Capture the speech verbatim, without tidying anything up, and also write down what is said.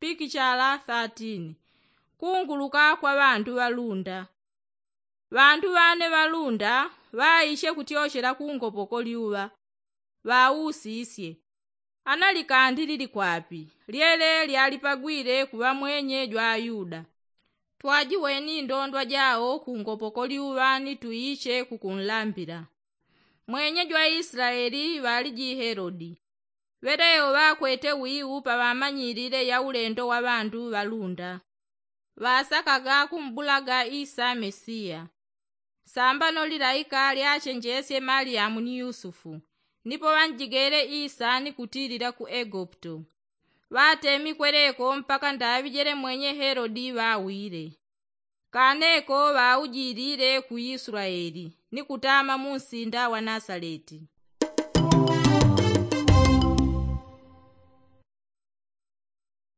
pikichala thirteen. Kunguluka kwa ŵandu ŵalunda. Ŵandu ŵane ŵalunda ŵaishe kutyochela kungopoko lyuŵa. Ŵausisye, analikandilili kwapi? Lyele lyalipagwile kuŵa mwenye jwa ayuda. Twajiweni indondwa jao kungopoko lyuŵa ni tuiche kukunlambila. Mwenye jwa islaeli ŵaliji helodi. Ŵelewo ŵakwete wiu paŵamanyilile ya ulendo wa ŵandu ŵalunda. Ŵasakaga kumbulaga isa mesiya. Sambano lilaika lyachenjesye maliyamu ni yusufu, nipo ŵanjigele isa ni kutilila ku egupto. Ŵatemi kweleko mpaka ndaŵi jelemwenye helodi ŵawile. Kaneko ŵaujilile ku islaeli ni kutama mu nsinda wa nasaleti.